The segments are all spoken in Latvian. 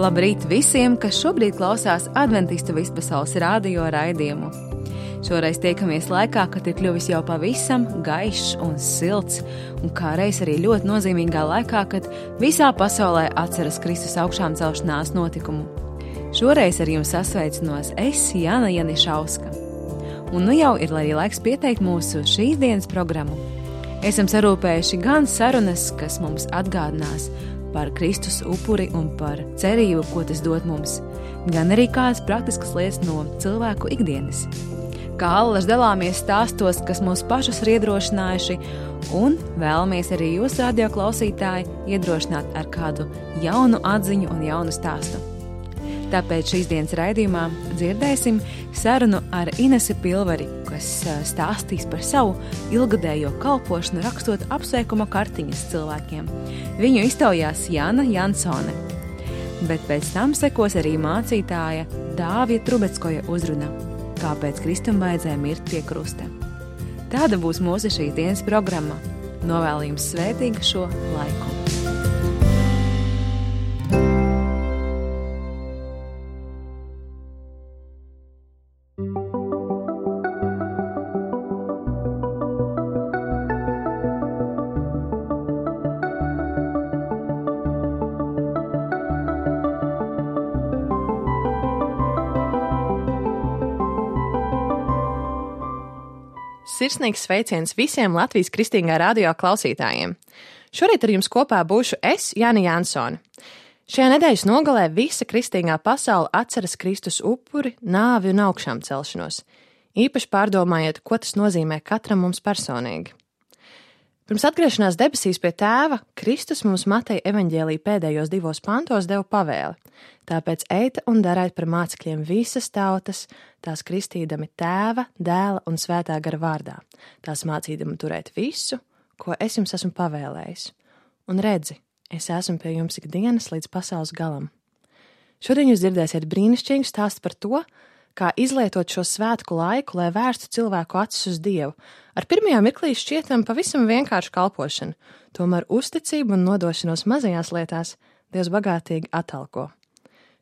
Labrīt visiem, kas šobrīd klausās Adventistu vispasaules radio raidījumu. Šoreiz tiekamies laikā, kad ir kļuvis jau pavisam gaišs un silts, un kā reiz arī ļoti nozīmīgā laikā, kad visā pasaulē atceras Kristus augšām celšanās notikumu. Šoreiz ar jums sasveicinos es, Jāna Janišauska. Un nu jau ir arī laiks pieteikt mūsu šīs dienas programmu. Esam sarūpējuši gan sarunas, kas mums atgādinās par Kristus upuri un par cerību, ko tas dod mums, gan arī kādas praktiskas lietas no cilvēku ikdienas. Kā allaž dalāmies stāstos, kas mūs pašus ir iedrošinājuši, un vēlamies arī jūs, radio klausītāji, iedrošināt ar kādu jaunu atziņu un jaunu stāstu. Tāpēc šīs dienas raidījumā dzirdēsim sarunu ar Inesi Pilvari, kas stāstīs par savu ilgadējo kalpošanu rakstot apsveikuma kartiņas cilvēkiem. Viņu iztaujās Jana Jansone, bet pēc tam sekos arī mācītāja Dāvija Trubeckoja uzruna, kāpēc Kristum vajadzēja mirt pie krusta. Tāda būs mūsu šīs dienas programma. Novēlu jums svētīgu šo laiku. Sirsnīgs sveiciens visiem Latvijas Kristīgā radio klausītājiem. Šorīt ar jums kopā būšu es, Jāna Jansone. Šajā nedēļas nogalē visa kristīgā pasaule atceras Kristus upuri, nāvi un augšām celšanos. Īpaši pārdomājiet, ko tas nozīmē katram mums personīgi. Pirms atgriešanās debesīs pie Tēva, Kristus mums Mateja evaņģēlija pēdējos 2 pantos deva pavēli. Tāpēc eita un dariet par mācekļiem visas tautas, tās kristīdami Tēva, Dēla un Svētā gara vārdā, tās mācīdami turēt visu, ko es jums esmu pavēlējis. Un redzi, es esmu pie jums ikdienas līdz pasaules galam. Šodien jūs dzirdēsiet brīnišķīgu stāstu par to, kā izlietot šo svētku laiku, lai vērstu cilvēku acis uz Dievu. Ar pirmajā mirklī šķietam pavisam vienkāršu kalpošanu, tomēr uzticību un nodošanos mazajās lietās Dievs bagātīgi atalgo.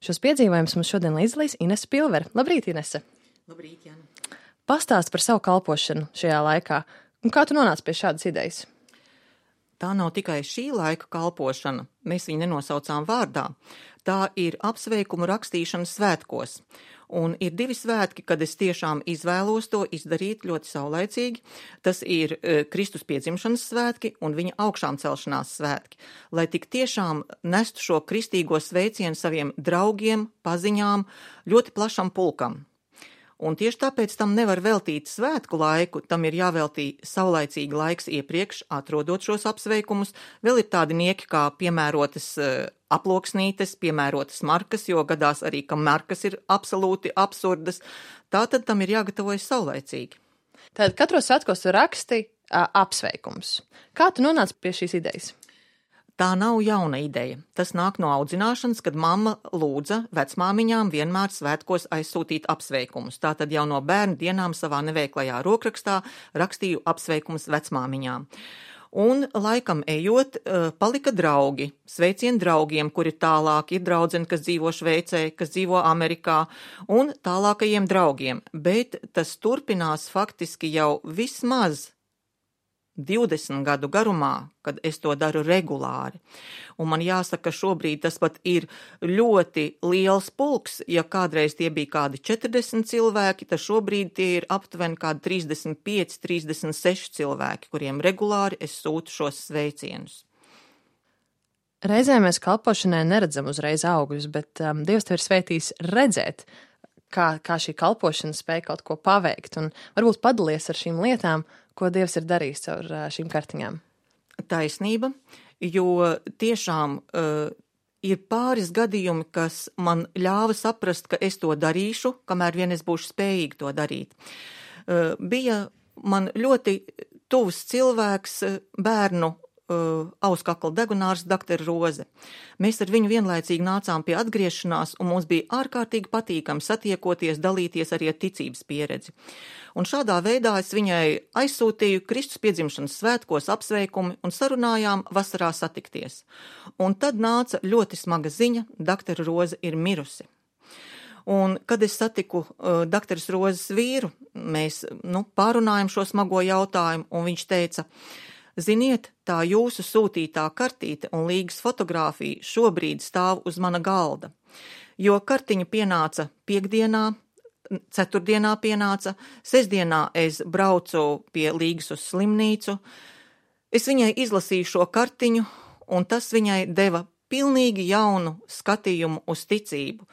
Šos piedzīvojumus mums šodien līdzdalīs Inese Pilvere. Labrīt, Inese! Labrīt, Jāna! Pastāst par savu kalpošanu šajā laikā, un kā tu nonāci pie šādas idejas? Tā nav tikai šī laika kalpošana, mēs viņu nenosaucām vārdā. Tā ir apsveikumu rakstīšana svētkos. Un ir 2 svētki, kad es tiešām izvēlos to izdarīt ļoti saulaicīgi. Tas ir Kristus piedzimšanas svētki un viņa augšām celšanās svētki, lai tik tiešām nestu šo kristīgo sveicienu saviem draugiem, paziņām, ļoti plašam pulkam. Un tieši tāpēc tam nevar veltīt svētku laiku, tam ir jāveltī saulaicīgi laiks iepriekš, atrodot šos apsveikumus. Vēl ir tādi nieki kā piemērotas aploksnītes, piemērotas markas, jo gadās arī, ka markas ir absolūti absurdas. Tātad tam ir jāgatavojas saulaicīgi. Tātad katros svētkos tu raksti apsveikums. Kā tu nonāci pie šīs idejas? Tā nav jauna ideja. Tas nāk no audzināšanas, kad mamma lūdza vecmāmiņām vienmēr svētkos aizsūtīt apsveikumus. Tātad jau no bērnu dienām savā neveiklajā rokrakstā rakstīju apsveikumus vecmāmiņām. Un laikam ejot, palika draugi, sveicieni draugiem, kuri tālāk ir draudzeni, kas dzīvo Šveicē, kas dzīvo Amerikā, un tālākajiem draugiem. Bet tas turpinās faktiski jau vismaz 20 gadu garumā, kad es to daru regulāri. Un man jāsaka, ka šobrīd tas pat ir ļoti liels pulks. Ja kādreiz tie bija kādi 40 cilvēki, tad šobrīd tie ir aptuveni kādi 35, 36 cilvēki, kuriem regulāri es sūtu šos sveicienus. Reizē mēs kalpošanai neredzam uzreiz augļus, bet Dievs tev ir svētījis redzēt, kā šī kalpošana spēj kaut ko paveikt, un varbūt padalies ar šīm lietām, ko Dievs ir darījis caur šīm kartiņām. Taisnība, jo tiešām ir pāris gadījumi, kas man ļāva saprast, ka es to darīšu, kamēr vien es būšu spējīgi to darīt. Bija man ļoti tuvs cilvēks bērnu auskakla degunārs doktora Roze. Mēs ar viņu vienlaicīgi nācām pie atgriešanās, un mums bija ārkārtīgi patīkami satiekoties, dalīties arī ar ticības pieredzi. Un šādā veidā es viņai aizsūtīju Kristus piedzimšanas svētkos apsveikumi un sarunājām vasarā satikties. Un tad nāca ļoti smaga ziņa, doktora Roze ir mirusi. Un, kad es satiku doktoras Rozes vīru, mēs pārunājam šo smago jautājumu, un viņš teica, ziniet, tā jūsu sūtītā kartīte un līgas fotogrāfija šobrīd stāv uz mana galda, jo kartiņa pienāca piekdienā, ceturtdienā pienāca, sestdienā es braucu pie līgas uz slimnīcu, es viņai izlasīju šo kartiņu, un tas viņai deva pilnīgi jaunu skatījumu uz ticību,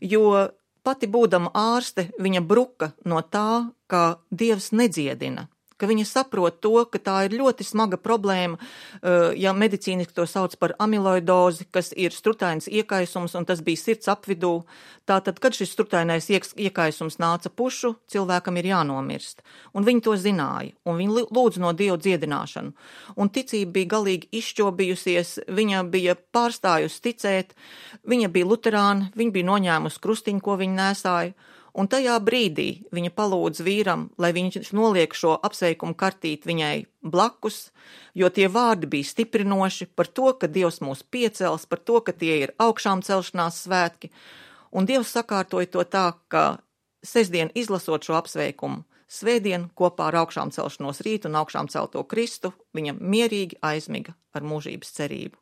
jo pati būdama ārste, viņa bruka no tā, ka Dievs nedziedina, ka viņa saprot to, ka tā ir ļoti smaga problēma, ja medicīniski to sauc par amiloidozi, kas ir strutains iekaisums, un tas bija sirds apvidū. Tātad, kad šis strutainais iekaisums nāca pušu, cilvēkam ir jānomirst. Un viņi to zināja, un viņi lūdz no Dieva dziedināšanu. Un ticība bija galīgi izšķobījusies, viņa bija pārstājusi ticēt, viņa bija luterāna, viņa bija noņēmusi krustiņu, ko viņa nēsāja. Un tajā brīdī viņa palūdz vīram, lai viņš noliek šo apsveikumu kartīti viņai blakus, jo tie vārdi bija stiprinoši par to, ka Dievs mūs piecels, par to, ka tie ir augšām celšanās svētki. Un Dievs sakārtoja to tā, ka sestdien izlasot šo apsveikumu, svētdien kopā ar augšām celšanos rītu un augšām celto Kristu, viņa mierīgi aizmiga ar mūžības cerību.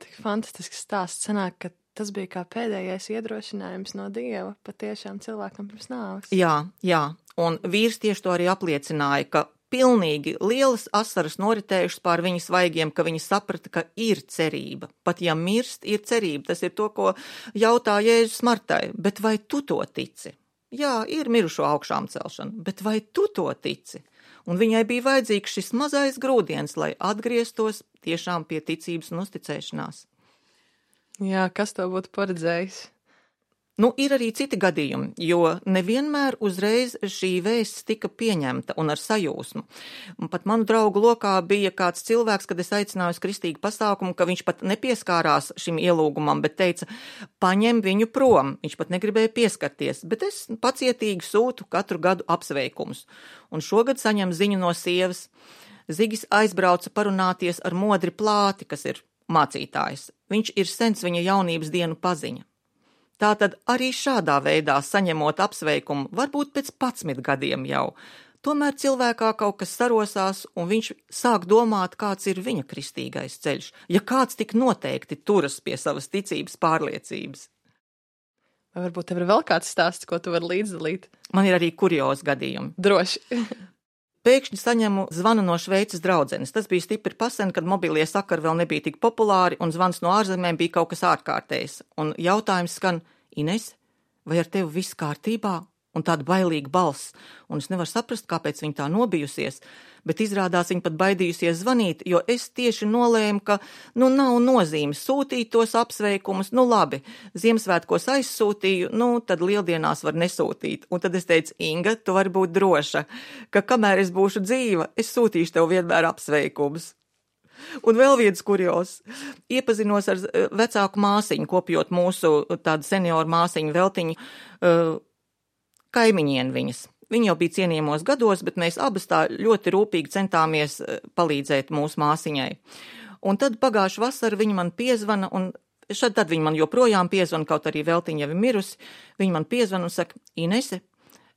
Tik fantastisks stāsts sanāk, ka tas bija kā pēdējais iedrošinājums no Dieva patiešām cilvēkam pirms nāves. Jā, un vīrs tieši to arī apliecināja, ka pilnīgi lielas asaras noritējušas pār viņa svaigiem, ka viņa saprata, ka ir cerība. Pat ja mirst, ir cerība. Tas ir to, ko jautā Jēzus Martai. Bet vai tu to tici? Jā, ir mirušo augšām celšana, bet vai tu to tici? Un viņai bija vajadzīgs šis mazais grūdienis, lai atgrieztos tiešām pie ticības un uzticēšanās. Jā, kas to būtu paredzējis? Ir arī citi gadījumi, jo nevienmēr uzreiz šī vēsts tika pieņemta un ar sajūsmu. Pat manu draugu lokā bija kāds cilvēks, kad es aicināju uz kristīgu pasākumu, ka viņš pat nepieskārās šim ielūgumam, bet teica, paņem viņu prom. Viņš pat negribēja pieskarties, bet es pacietīgi sūtu katru gadu apsveikumus. Un šogad saņem ziņu no sievas. Zigis aizbrauca parunāties ar Modri Plāti, kas ir mācītājs. Viņš ir sens viņa jaunības dienu paziņa. Tātad arī šādā veidā saņemot apsveikumu, varbūt pēc 11 gadiem jau, tomēr cilvēkā kaut kas sarosās un viņš sāk domāt, kāds ir viņa kristīgais ceļš, ja kāds tik noteikti turas pie savas ticības pārliecības. Vai varbūt tev ir vēl kāds stāsts, ko tu vari līdzdalīt? Man ir arī kuriozi gadījumi. Droši. Pēkšņi saņemu zvanu no Šveices draudzenes. Tas bija stipri pasen, kad mobilie sakari vēl nebija tik populāri un zvans no ārzemēm bija kaut kas ārkārtējs. Un jautājums skan, Ines, vai ar tevi viss kārtībā? Un tāda bailīga balss. Un es nevaru saprast, kāpēc viņa tā nobijusies, bet izrādās viņa pat baidījusies zvanīt, jo es tieši nolēmu, ka nav nozīmes sūtīt tos apsveikumus. Labi, Ziemassvētkos aizsūtīju, tad lieldienās var nesūtīt. Un tad es teicu, Inga, tu vari būt droša, ka kamēr es būšu dzīva, es sūtīšu tev vienmēr apsveikumus. Un vēl viens kurios. Iepazinos ar vecāku māsiņu, kopjot mūsu tādu senioru māsiņu veltiņu, kaimiņieni viņas. Viņa jau bija cienījamos gados, bet mēs abas tā ļoti rūpīgi centāmies palīdzēt mūsu māsiņai. Un tad pagājuši vasara viņa man piezvana, un tad viņa man joprojām piezvana, kaut arī veltiņa jau ir mirusi. Viņa man piezvana un saka, Inese,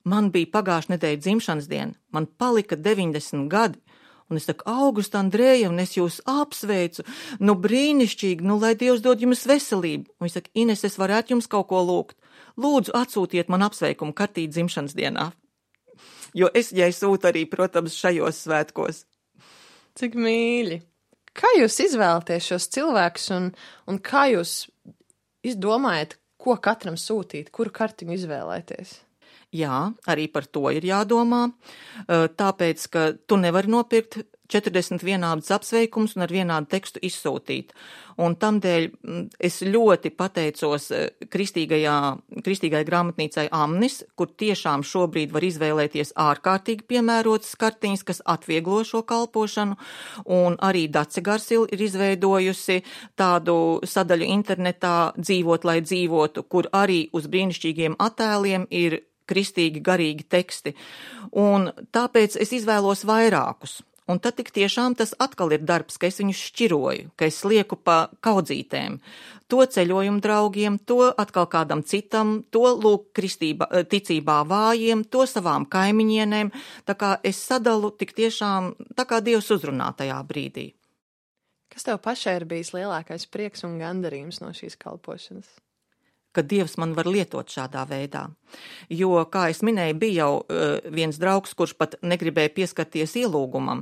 man bija pagājuši nedēļa dzimšanas diena, man palika 90 gadi. Un es saku, Augusta Andreja, un es jūs apsveicu, brīnišķīgi, lai Dievs dod jums veselību. Un viņš saka, Ines, es varētu jums kaut ko lūgt. Lūdzu, atsūtiet man apsveikumu kartīti dzimšanas dienā. Jo es viņai sūtu arī, protams, šajos svētkos. Cik mīļi. Kā jūs izvēlaties šos cilvēkus un kā jūs izdomājat, ko katram sūtīt, kuru kartiņu izvēlēties? Jā, arī par to ir jādomā, tāpēc, ka tu nevari nopirkt 40 vienādus apsveikumus un ar vienādu tekstu izsūtīt. Un tamdēļ es ļoti pateicos kristīgai grāmatnīcai Amnis, kur tiešām šobrīd var izvēlēties ārkārtīgi piemērotas kartiņas, kas atvieglo šo kalpošanu, un arī Dace Garsil ir izveidojusi tādu sadaļu internetā Dzīvot, lai dzīvotu, kur arī uz brīnišķīgiem attēliem ir kristīgi garīgi teksti. Un tāpēc es izvēlos vairākus. Un tad tik tiešām tas atkal ir darbs, ka es viņus šķiroju, ka es lieku pa kaudzītēm. To ceļojumu draugiem, to atkal kādam citam, to lūk ticībā vājiem, to savām kaimiņienēm. Tā kā es sadalu tik tiešām, tā kā Dievs uzrunā tajā brīdī. Kas tev pašai ir bijis lielākais prieks un gandarījums no šīs kalpošanas? Ka Dievs man var lietot šādā veidā. Jo, kā es minēju, bija jau viens draugs, kurš pat negribēja pieskarties ielūgumam,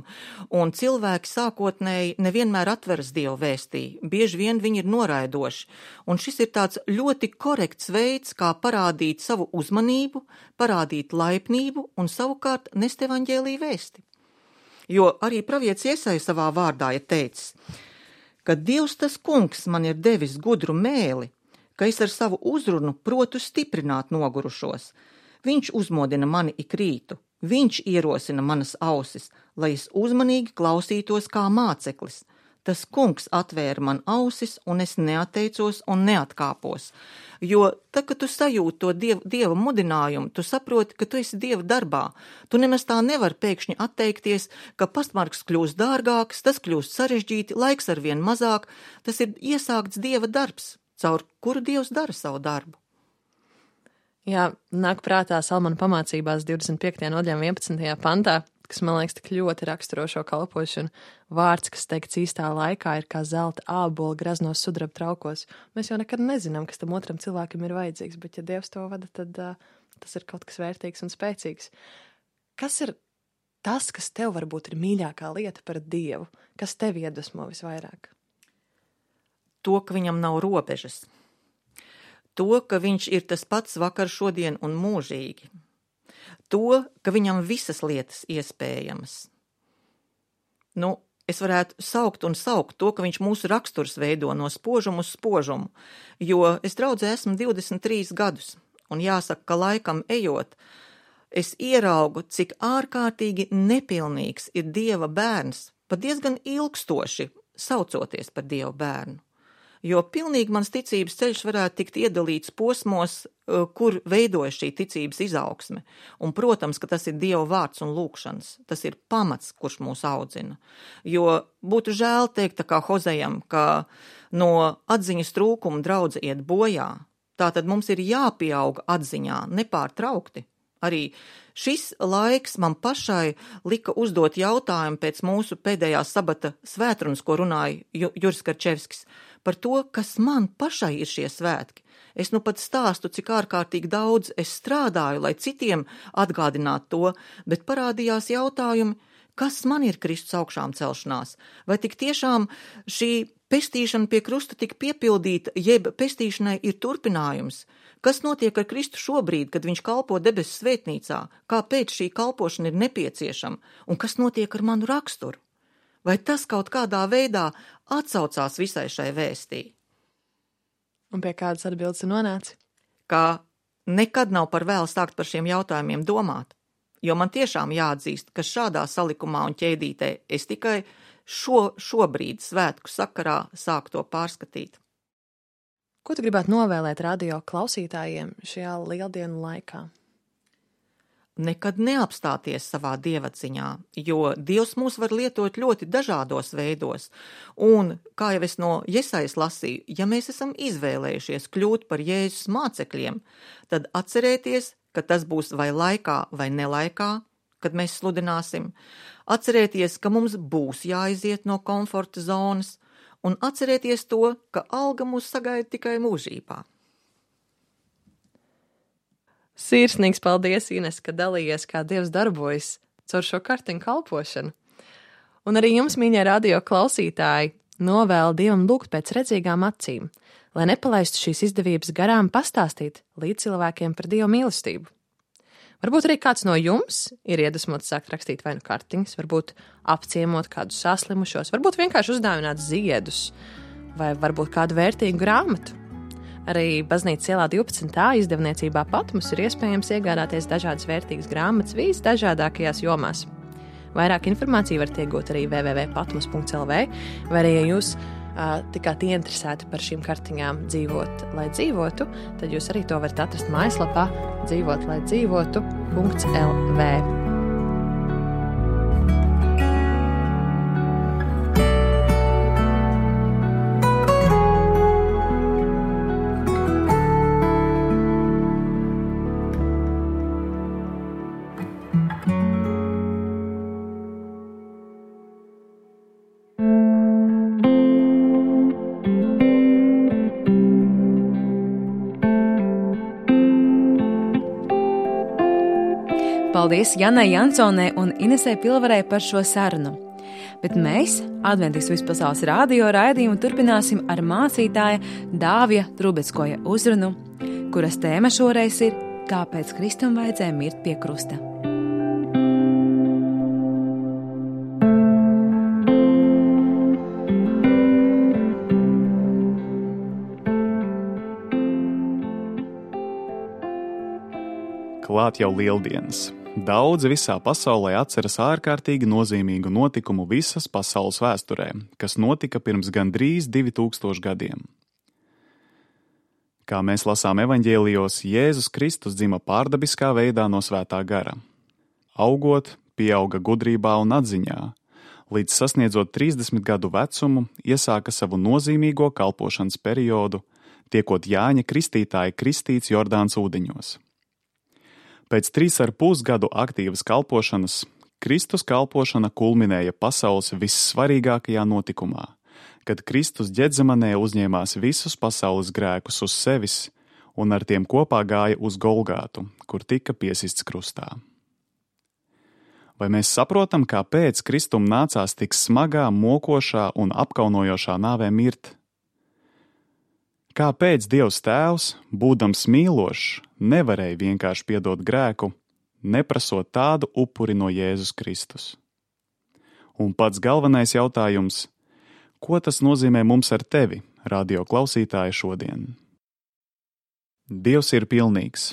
un cilvēki sākotnēji nevienmēr atveras Dievu vēstī, bieži vien viņi ir noraidoši, un šis ir tāds ļoti korekts veids, kā parādīt savu uzmanību, parādīt laipnību un savukārt nest evaņģēliju vēsti. Jo arī pravietis Jesaja savā vārdā ir teicis, ka Dievs tas kungs man ir devis gudru mēli, ka es ar savu uzrunu protu stiprināt nogurušos. Viņš uzmodina mani ik rītu, viņš ierosina manas ausis, lai es uzmanīgi klausītos kā māceklis. Tas kungs atvēra man ausis, un es neatteicos un neatkāpos. Jo tad, kad tu sajūti to dieva mudinājumu, tu saproti, ka tu esi Dieva darbā. Tu nemaz tā nevar pēkšņi atteikties, ka pastmarks kļūst dārgāks, tas kļūst sarežģīti, laiks arvien mazāk. Tas ir iesākts Dieva darbs, caur kuru Dievs dara savu darbu. Jā, nāk prātā Salmana pamācībās 25. nodaļā 11. pantā, kas man liekas tik ļoti raksturo šo kalpošanu. Vārds, kas teikts īstā laikā, ir kā zelta ābola graznos sudraba traukos. Mēs jau nekad nezinām, kas tam otram cilvēkam ir vajadzīgs, bet ja Dievs to vada, tad tas ir kaut kas vērtīgs un spēcīgs. Kas ir tas, kas tev varbūt ir mīļākā lieta par Dievu? Kas tev iedvesmo visvairāk? To, ka viņam nav robežas. To, ka viņš ir tas pats vakar, šodien un mūžīgi. To, ka viņam visas lietas iespējamas. Es varētu saukt to, ka viņš mūsu raksturs veido no spožumu uz spožumu, jo es draudzē esmu 23 gadus, un jāsaka, ka laikam ejot, es ieraugu, cik ārkārtīgi nepilnīgs ir Dieva bērns, pat diezgan ilgstoši saucoties par Dieva bērnu. Jo pilnīgi mans ticības ceļš varētu tikt iedalīts posmos, kur veidojas šī ticības izaugsme. Un, protams, ka tas ir Dieva vārds un lūkšanas. Tas ir pamats, kurš mūs audzina. Jo būtu žēl teikt, tā kā Hozejam, ka no atziņas trūkuma draudze iet bojā. Tātad mums ir jāpieauga atziņā nepārtraukti. Arī šis laiks man pašai lika uzdot jautājumu pēc mūsu pēdējās sabata svētrunas, ko runāja Juris Karčevskis, par to, kas man pašai ir šie svētki. Es pat stāstu, cik ārkārtīgi daudz es strādāju, lai citiem atgādinātu to, bet parādījās jautājumi, kas man ir Kristus augšām celšanās? Vai tik tiešām šī pestīšana pie krusta tika piepildīta, jeb pestīšanai ir turpinājums? Kas notiek ar Kristu šobrīd, kad viņš kalpo debesu svētnīcā? Kāpēc šī kalpošana ir nepieciešama? Un kas notiek ar manu raksturu? Vai tas kaut kādā veidā atsaucās visai šai vēstī? Un pie kādas atbildes ir nonācis? Ka nekad nav par vēlu sākt par šiem jautājumiem domāt, jo man tiešām jāatzīst, ka šādā salikumā un ķēdītē es tikai šobrīd svētku sakarā sāku to pārskatīt. Ko tu gribētu novēlēt radio klausītājiem šajā lieldienu laikā? Nekad neapstāties savā dievatziņā, jo Dievs mūs var lietot ļoti dažādos veidos. Un, kā jau es no Jesajas lasīju, ja mēs esam izvēlējušies kļūt par Jēzus mācekļiem, tad atcerēties, ka tas būs vai laikā, vai nelaikā, kad mēs sludināsim. Atcerēties, ka mums būs jāiziet no komforta zonas, un atcerēties to, ka alga mūs sagaida tikai mūžībā. Sirsnīgs paldies, Ines, ka dalījies, kā Dievs darbojas caur šo kartiņu kalpošanu. Un arī jums, mīļie radio klausītāji, novēlu Dievam lūgt pēc redzīgām acīm, lai nepalaistu šīs izdevības garām pastāstīt līdz cilvēkiem par Dieva mīlestību. Varbūt arī kāds no jums ir iedvesmots sākt rakstīt vai nu kartiņas, varbūt apciemot kādus saslimušos, varbūt vienkārši uzdāvināt ziedus vai varbūt kādu vērtīgu grāmatu. Arī Baznīcas ielā 12. izdevniecībā Patmos ir iespējams iegādāties dažādas vērtīgas grāmatas visdažādākajās jomās. Vairāk informāciju varat iegūt arī www.patmos.lv, vai arī, ja jūs tikāt ieinteresēti par šīm kartiņām dzīvot, lai dzīvotu, tad jūs arī to varat atrast mājaslapā dzīvotlaizdzīvotu.lv. Paldies Janai Jansonai un Inesei Pilvarei par šo sarunu. Bet mēs, Adventistu vispasaules radio raidījumu, turpināsim ar mācītāja Dāvija Trubeckoja uzrunu, kuras tēma šoreiz ir Kāpēc Kristum vajadzēja mirt pie krusta. Klāt jau lieldienas. Daudzi visā pasaulē atceras ārkārtīgi nozīmīgu notikumu visas pasaules vēsturē, kas notika pirms gandrīz 2000 gadiem. Kā mēs lasām evaņģēlijos, Jēzus Kristus dzima pārdabiskā veidā no svētā gara. Augot, pieauga gudrībā un atziņā, līdz sasniedzot 30 gadu vecumu, iesāka savu nozīmīgo kalpošanas periodu, tiekot Jāņa Kristītāja kristīts Jordānas ūdeņos. Pēc 3,5 gadu aktīvas kalpošanas, Kristus kalpošana kulminēja pasaules vissvarīgākajā notikumā, kad Kristus Ģetzemanē uzņēmās visus pasaules grēkus uz sevis un ar tiem kopā gāja uz Golgātu, kur tika piesists krustā. Vai mēs saprotam, kāpēc Kristum nācās tik smagā, mokošā un apkaunojošā nāvē mirt? Kāpēc Dievs Tēvs, būdams mīlošs, nevarēja vienkārši piedot grēku, neprasot tādu upuri no Jēzus Kristus? Un pats galvenais jautājums, ko tas nozīmē mums ar tevi, radio klausītāji, šodien? Dievs ir pilnīgs.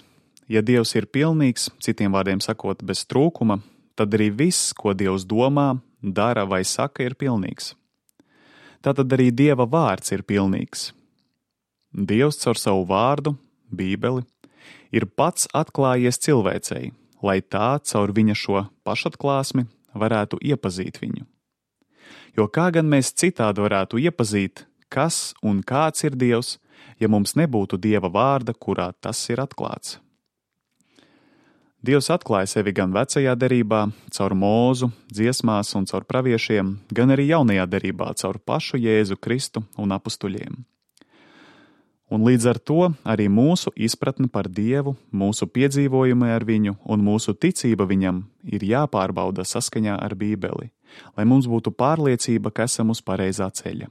Ja Dievs ir pilnīgs, citiem vārdiem sakot, bez trūkuma, tad arī viss, ko Dievs domā, dara vai saka, ir pilnīgs. Tātad arī Dieva vārds ir pilnīgs. Dievs caur savu vārdu, Bībeli, ir pats atklājies cilvēcei, lai tā caur viņa šo pašatklāsmi varētu iepazīt viņu. Jo kā gan mēs citādi varētu iepazīt, kas un kāds ir Dievs, ja mums nebūtu Dieva vārda, kurā tas ir atklāts? Dievs atklāja sevi gan vecajā derībā, caur Mūzu, dziesmās un caur praviešiem, gan arī jaunajā derībā, caur pašu Jēzu Kristu un apustuļiem. Un līdz ar to arī mūsu izpratne par Dievu, mūsu piedzīvojumi ar viņu un mūsu ticība viņam ir jāpārbauda saskaņā ar Bībeli, lai mums būtu pārliecība, ka esam uz pareizā ceļa.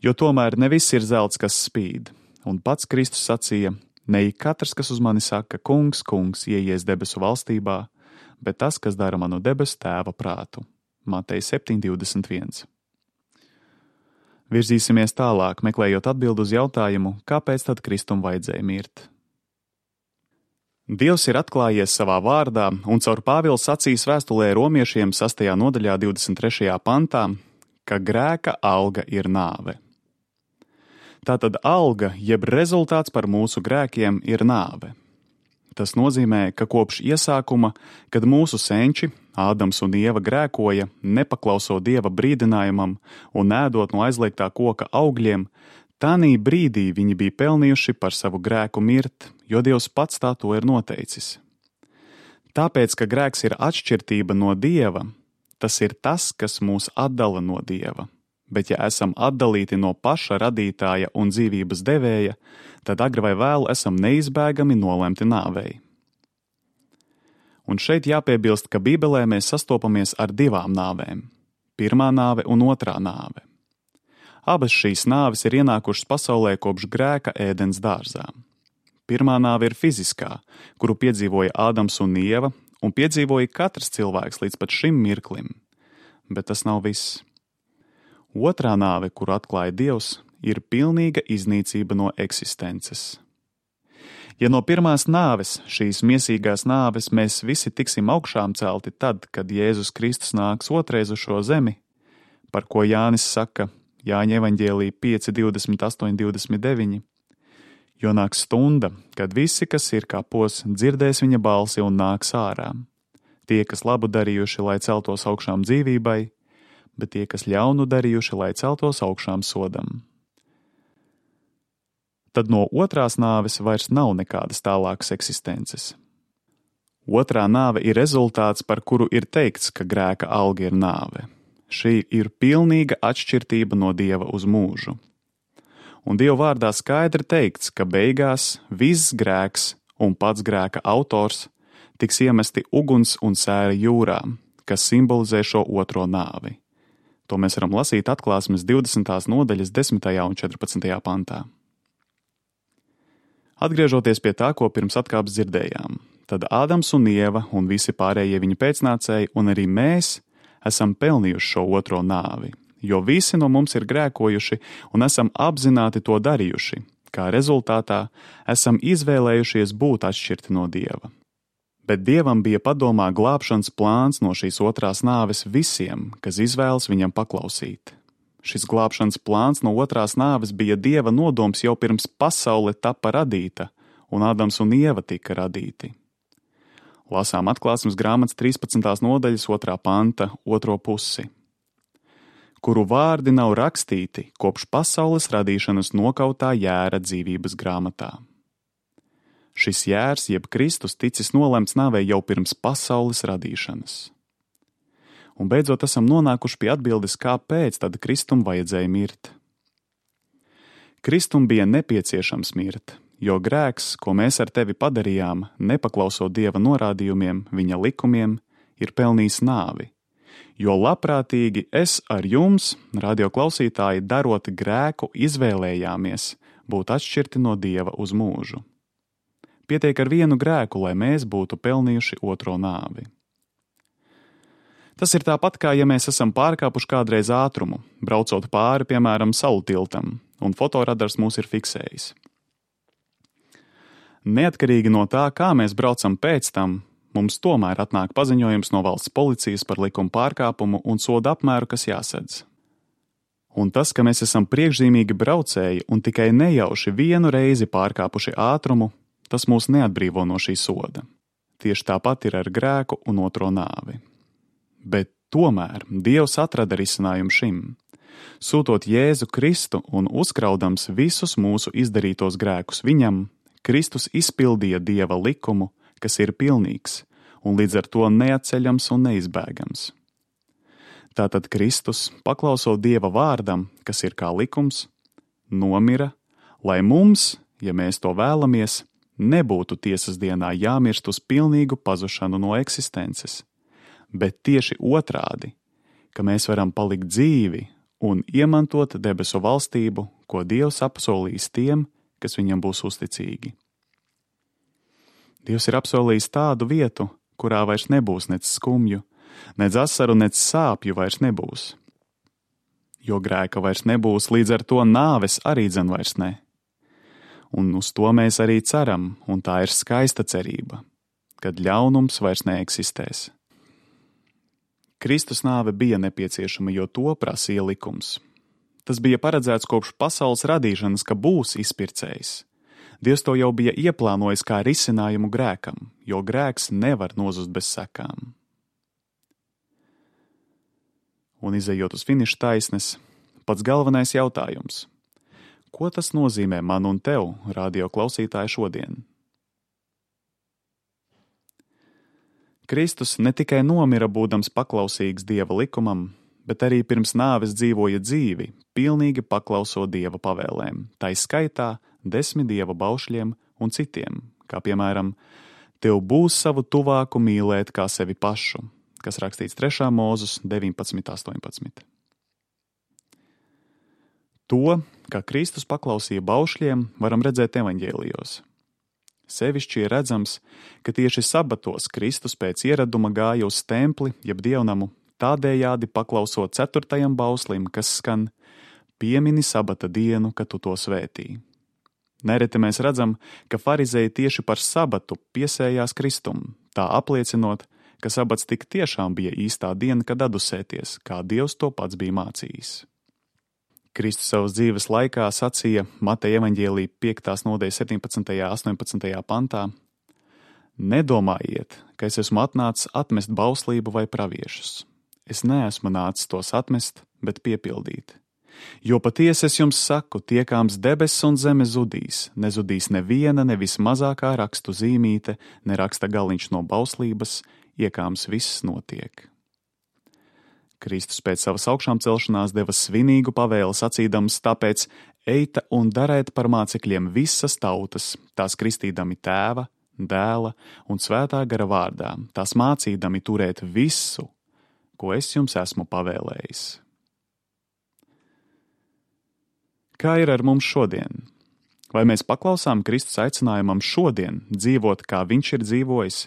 Jo tomēr ne viss ir zelts, kas spīd, un pats Kristus sacīja, ne ik katrs, kas uz mani saka, kungs, kungs, ieies debesu valstībā, bet tas, kas dara manu debesu Tēva prātu. Mateja 7:21. Virzīsimies tālāk, meklējot atbildi uz jautājumu, kāpēc tad Kristum vajadzēja mirt. Dievs ir atklājies savā vārdā, un caur Pāvila sacīs vēstulē romiešiem 6. nodaļā 23. pantā, ka grēka alga ir nāve. Tātad alga, jeb rezultāts par mūsu grēkiem, ir nāve. Tas nozīmē, ka kopš iesākuma, kad mūsu senči, Ādams un Ieva grēkoja, nepaklausot Dieva brīdinājumam un ēdot no aizliegtā koka augļiem, tanī brīdī viņi bija pelnījuši par savu grēku mirt, jo Dievs pats tā to ir noteicis. Tāpēc, ka grēks ir atšķirtība no Dieva, tas ir tas, kas mūs atdala no Dieva. Bet ja esam atdalīti no paša radītāja un dzīvības devēja, tad agri vai vēlu esam neizbēgami nolemti nāvei. Un šeit jāpiebilst, ka Bībelē mēs sastopamies ar divām nāvēm – pirmā nāve un otrā nāve. Abas šīs nāves ir ienākušas pasaulē kopš grēka Ēdens dārzā. Pirmā nāve ir fiziskā, kuru piedzīvoja Ādams un Ieva, un piedzīvoja katrs cilvēks līdz pat šim mirklim. Bet tas nav viss. Otrā nāve, kuru atklāja Dievs, ir pilnīga iznīcība no eksistences. Ja no pirmās nāves, šīs miesīgās nāves, mēs visi tiksim augšām celti tad, kad Jēzus Kristus nāks otrais uz šo zemi, par ko Jānis saka Jāņa evaņģēlī 5, 28, 29, jo nāks stunda, kad visi, kas ir kapos, dzirdēs viņa balsi un nāks ārā. Tie, kas labu darījuši, lai celtos augšām dzīvībai, bet tie, kas ļaunu darījuši, lai celtos augšām sodam. Tad no otrās nāves vairs nav nekādas tālākas eksistences. Otrā nāve ir rezultāts, par kuru ir teikts, ka grēka alga ir nāve. Šī ir pilnīga atšķirtība no Dieva uz mūžu. Un Dieva vārdā skaidri teikts, ka beigās viss grēks un pats grēka autors tiks iemesti uguns un sēra jūrā, kas simbolizē šo otro nāvi. To mēs varam lasīt Atklāsmes 20. nodaļas 10. un 14. pantā. Atgriežoties pie tā, ko pirms atkāpes dzirdējām, tad Ādams un Ieva un visi pārējie viņa pēcnācēji un arī mēs esam pelnījuši šo otro nāvi, jo visi no mums ir grēkojuši un esam apzināti to darījuši, kā rezultātā esam izvēlējušies būt atšķirti no Dieva. Bet Dievam bija padomā glābšanas plāns no šīs otrās nāves visiem, kas izvēlas viņam paklausīt. Šis glābšanas plāns no otrās nāves bija Dieva nodoms jau pirms pasaule tapa radīta, un Ādams un Ieva tika radīti. Lasām Atklāsmes grāmatas 13. nodaļas 2. panta 2. pusi, kuru vārdi nav rakstīti kopš pasaules radīšanas nokautā jēra dzīvības grāmatā. Šis jērs, jeb Kristus, ticis nolemts nāvei jau pirms pasaules radīšanas. Un beidzot esam nonākuši pie atbildes, kāpēc tad Kristum vajadzēja mirt. Kristum bija nepieciešams mirt, jo grēks, ko mēs ar tevi padarījām, nepaklausot Dieva norādījumiem, viņa likumiem, ir pelnījis nāvi. Jo labprātīgi es ar jums, radioklausītāji, darot grēku, izvēlējāmies būt atšķirti no Dieva uz mūžu. Pietiek ar vienu grēku, lai mēs būtu pelnījuši otro nāvi. Tas ir tāpat, kā ja mēs esam pārkāpuši kādreiz ātrumu, braucot pāri, piemēram, salu tiltam, un fotoradars mūs ir fiksējis. Neatkarīgi no tā, kā mēs braucam pēc tam, mums tomēr atnāk paziņojums no valsts policijas par likuma pārkāpumu un soda apmēru, kas jāsedz. Un tas, ka mēs esam priekšzīmīgi braucēji un tikai nejauši vienu reizi pārkāpuši ātrumu, tas mūs neatbrīvo no šī soda. Tieši tāpat ir ar grēku un otro nāvi. Bet tomēr Dievs atrada risinājumu šim. Sūtot Jēzu Kristu un uzkraudams visus mūsu izdarītos grēkus viņam, Kristus izpildīja Dieva likumu, kas ir pilnīgs un līdz ar to neatceļams un neizbēgams. Tātad Kristus, paklausot Dieva vārdam, kas ir kā likums, nomira, lai mums, ja mēs to vēlamies, nebūtu tiesas dienā jāmirst uz pilnīgu pazušanu no eksistences, bet tieši otrādi, ka mēs varam palikt dzīvi un iemantot debesu valstību, ko Dievs apsolīs tiem, kas viņam būs uzticīgi. Dievs ir apsolījis tādu vietu, kurā vairs nebūs nec skumju, nec asaru, nec sāpju vairs nebūs. Jo grēka vairs nebūs, līdz ar to nāves arī dzen vairs ne. Un uz to mēs arī ceram, un tā ir skaista cerība, kad ļaunums vairs neeksistēs. Kristus nāve bija nepieciešama, jo to prasīja likums. Tas bija paredzēts kopš pasaules radīšanas, ka būs izpircējs. Dievs to jau bija ieplānojis kā risinājumu grēkam, jo grēks nevar nozust bez sekām. Un izejot uz finiša taisnes, pats galvenais jautājums. Ko tas nozīmē man un tev, radio klausītāji, šodien? Kristus ne tikai nomira būdams paklausīgs Dieva likumam, bet arī pirms nāves dzīvoja dzīvi, pilnīgi paklausot Dieva pavēlēm, tai skaitā 10 Dieva baušļiem un citiem, kā piemēram, tev būs savu tuvāku mīlēt kā sevi pašu, kas rakstīts 3. Mūzes 19.18. To, kā Kristus paklausīja baušļiem, varam redzēt evaņģēlijos. Sevišķi ir redzams, ka tieši sabatos Kristus pēc ieraduma gāja uz templi, jeb dievnamu, tādējādi paklausot 4. bauslim, kas skan: piemini sabata dienu, kad tu to svētī. Nereti mēs redzam, ka farizeji tieši par sabatu piesējās Kristum, tā apliecinot, ka sabats tik tiešām bija īstā diena, kad adusēties, kā Dievs to pats bija mācījis. Kristus savas dzīves laikā sacīja Mateja evaņģēlī 5. nodaļas 17. 18. pantā: Nedomājiet, ka es esmu atnācis atmest bauslību vai praviešus. Es neesmu nācis tos atmest, bet piepildīt. Jo patiesi es jums saku, tiekāms debesis un zeme zudīs, nezudīs neviena, ne vismazākā rakstu zīmīte, ne raksta galiņš no bauslības, iekāms viss notiek. Kristus pēc savas augšām celšanās deva svinīgu pavēli sacīdams: tāpēc eita un dariet par mācekļiem visas tautas, tās kristīdami Tēva, Dēla un Svētā gara vārdā, tās mācīdami turēt visu, ko es jums esmu pavēlējis. Kā ir ar mums šodien? Vai mēs paklausām Kristus aicinājumam šodien dzīvot, kā viņš ir dzīvojis,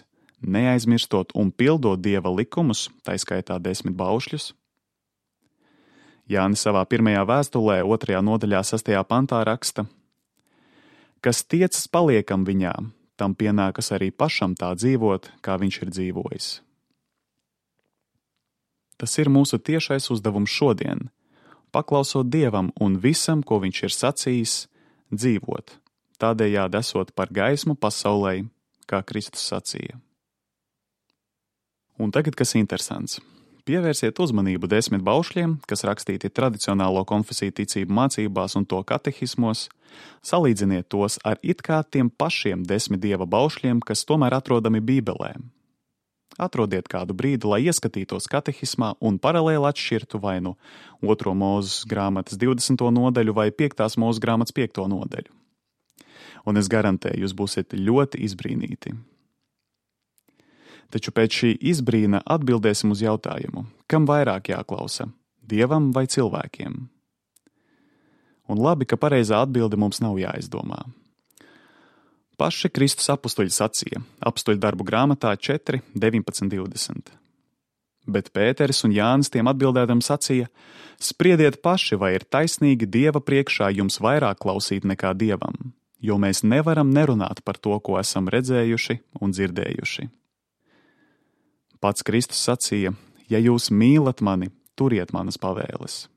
neaizmirstot un pildot Dieva likumus, tā skaitā 10 baušļus? Jānis savā 1. vēstulē, 2. nodaļā, 6. pantā raksta: kas tiecas paliekam viņā, tam pienākas arī pašam tā dzīvot, kā viņš ir dzīvojis. Tas ir mūsu tiešais uzdevums šodien, paklausot Dievam un visam, ko viņš ir sacījis, dzīvot, tādējādi esot par gaismu pasaulei, kā Kristus sacīja. Un tagad, kas interesants, pievērsiet uzmanību 10 baušļiem, kas rakstīti tradicionālo konfesiju ticību mācībās un to katehismos, salīdziniet tos ar it kā tiem pašiem 10 Dieva baušļiem, kas tomēr atrodami Bībelē. Atrodiet kādu brīdi, lai ieskatītos katehismā un paralēli atšķirtu vai nu 2. Mūzes grāmatas 20. nodaļu vai 5. Mūzes grāmatas 5. nodaļu. Un es garantēju, jūs būsiet ļoti izbrīnīti. Taču pēc šī izbrīna atbildēsim uz jautājumu, kam vairāk jāklausa, Dievam vai cilvēkiem? Un labi, ka pareizā atbilde mums nav jāizdomā. Paši Kristus apustuļi sacīja Apustuļu darbu grāmatā 4, 19, 20. Bet Pēteris un Jānis tiem atbildēdam sacīja: spriediet paši, vai ir taisnīgi Dieva priekšā jums vairāk klausīt nekā Dievam, jo mēs nevaram nerunāt par to, ko esam redzējuši un dzirdējuši. Pats Kristus sacīja: ja jūs mīlat mani, turiet manas pavēles.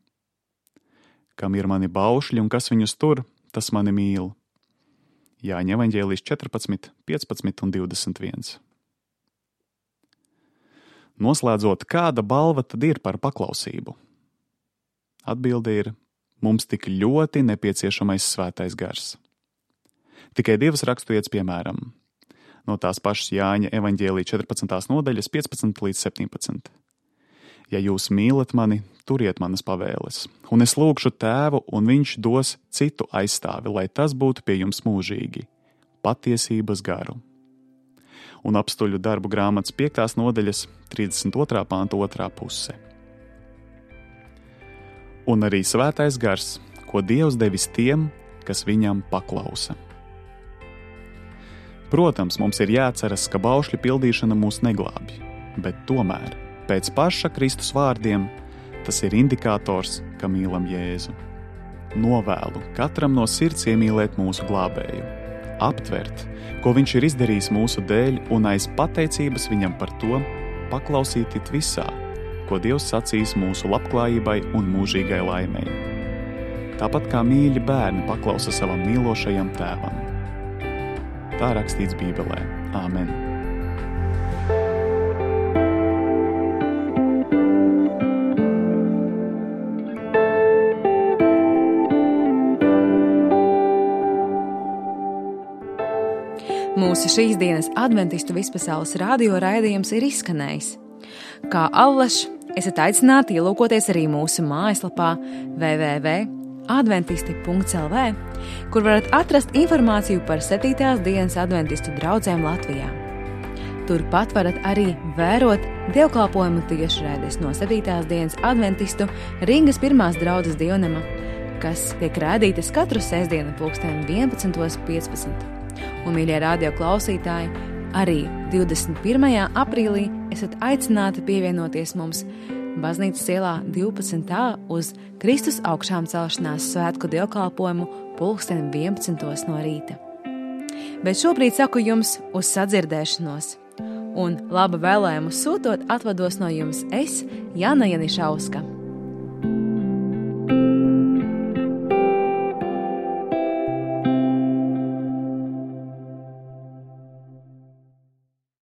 Kam ir mani baušļi un kas viņus tur, tas mani mīl. Jāņa evaņģēlijas 14, 15 un 21. Noslēdzot, kāda balva tad ir par paklausību? Atbilde ir: mums tik ļoti nepieciešamais svētais gars. Tikai 2 raksturvietas piemēram. No tās pašas Jāņa evaņģēlija 14. nodaļas 15 līdz 17. Ja jūs mīlat mani, turiet manas pavēles, un es lūgšu Tēvu, un viņš dos citu aizstāvi, lai tas būtu pie jums mūžīgi, patiesības garu. Un Apustuļu darbu grāmatas 5. nodaļas 32. pānta 2. puse. Un arī svētais gars, ko Dievs devis tiem, kas viņam paklausa. Protams, mums ir jāatceras, ka baušļu pildīšana mūs neglābj, bet tomēr, pēc paša Kristus vārdiem, tas ir indikators, ka mīlam Jēzu. Novēlu katram no sirds iemīlēt mūsu glābēju, aptvert, ko viņš ir izdarījis mūsu dēļ, un aiz pateicības viņam par to paklausīt it visā, ko Dievs sacīs mūsu labklājībai un mūžīgai laimei. Tāpat kā mīļi bērni paklausa savam mīlošajam tēvam. Tā rakstīts Bībelē. Āmen. Mūsu šīs dienas adventistu vispasaules radio raidījums ir izskanējis. Kā allaž, esat aicināti ielūkoties arī mūsu mājaslapā www.adventisti.lv, kur varat atrast informāciju par 7. dienas adventistu draudzēm Latvijā. Turpat varat arī vērot dievkalpojumu tiešraides no 7. dienas adventistu Rīgas 1. draudzes dievnama, kas tiek rādītas katru sestdienu 11:15. Un, mīļie radio klausītāji, arī 21. aprīlī esat aicināti pievienoties mums Baznīcas ielā 12. uz Kristus augšām celšanās svētku dievkalpojumu 11:00 no rīta. Bet šobrīd saku jums uz sadzirdēšanos, un laba vēlējumu sūtot atvados no jums es, Jāna Janišauska.